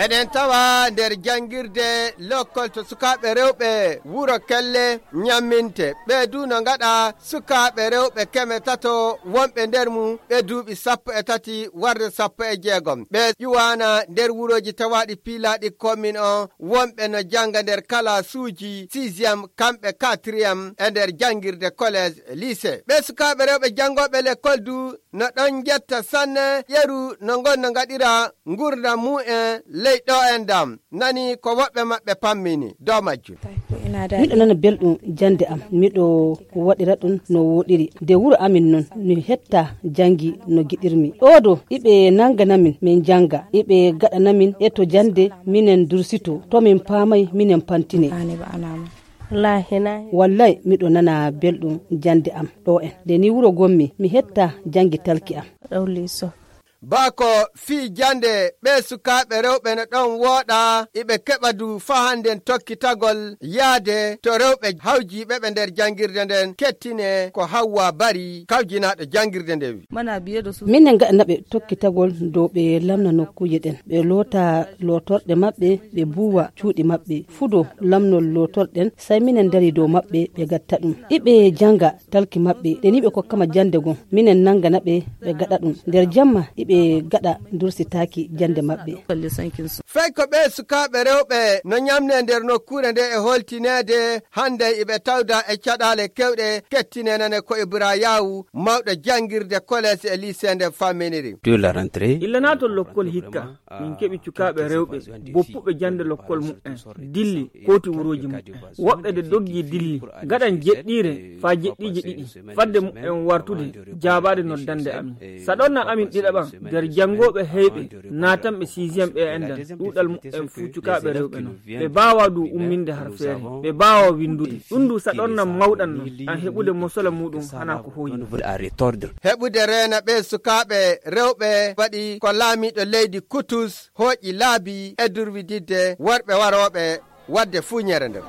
Eɗen tawa nder jangirde lokkol to sukaɓe rewɓe wuro Kelle nyamminte ɓe du no gaɗa sukaɓe rewɓe 300 wonɓe nder mum ɓe duuɓi 13 warde 16 ɓe ƴuwana nder wuroji tawaɗi piilaɗi commune o wonɓe no janga nder kala suuji 6e kamɓe 4e e nder jangirde collège lycée ɓe sukaɓe rewɓe jangoɓe l'école du no ɗon jetta sanne yeru no gonno gaɗira gurda mu'en ley ɗo en dam nani ko woɓɓe maɓɓe pammini dow majjum. Miɗo nana belɗum jande am miɗo waɗira ɗum no woɗiri de wuro amin non mi hetta jangi no giɗirmi ɗoɗo iɓe nanganamin min janga iɓe gaɗanamin e to jande minen dursito to min paamay minen pantine. Wallahi miɗo nana belɗum jande am ɗo en de ni wuro gommi mi hetta jangi talki am. Bako fi jande ɓe sukaɓe rewɓe no ɗon wooɗa iɓe keɓa du fahanden tokkitagol yaade to rewɓe hawjiɓe ɓe nder jangirde nden kettine ko Hawwa Bari kawjinaɗo jangirde nde wi. Minen gaɗanaɓe tokkitagol dow ɓe lamna nokkuje ɗen ɓe loota lotorɗe maɓɓe ɓe buwa cuuɗi maɓɓe fudo lamnol lotorɗen sai minen dari dow maɓɓe ɓe gatta ɗum iɓe janga talki maɓɓe ɗen iɓe kokkama jande gon minen nanganaɓe ɓe gaɗa ɗum nder jamma iɓe gada dursitaki jande mabbe. Fay ko ɓe sukaɓe rewɓe no nyamne nder nokkure nde e holtinede hande iɓe tawda e caɗale kewɗe kettinenane ko Ibra Yawu mawɗo jangirde collège e lycée nde famminiri. Illana to lokkol hikka min keɓi cukaɓe rewɓe boppuɓe jande lokkol mu'en dilli koti wuroji mu'en woɓɓe de doggi dilli gaɗan jeɗɗire fa jeɗɗiji ɗiɗi fadde mu'en wartude jabade noddande amin saɗonna amin ɗiɗaɓan nder jangoɓe heyɓe natanɓe 6e ɓe endan ɗuɗal mu'en fu cukaɓe rewɓe non ɓe bawa du umminde har feere ɓe bawa windude ɗum du saɗonna mawɗan non an heɓude mosola muɗum hana ko hoyi heɓude reena ɓe sukaɓe rewɓe waɗi ko laamiɗo leydi Kutus hooƴi laabi e durwididde worɓe waroɓe wadde fuñere nder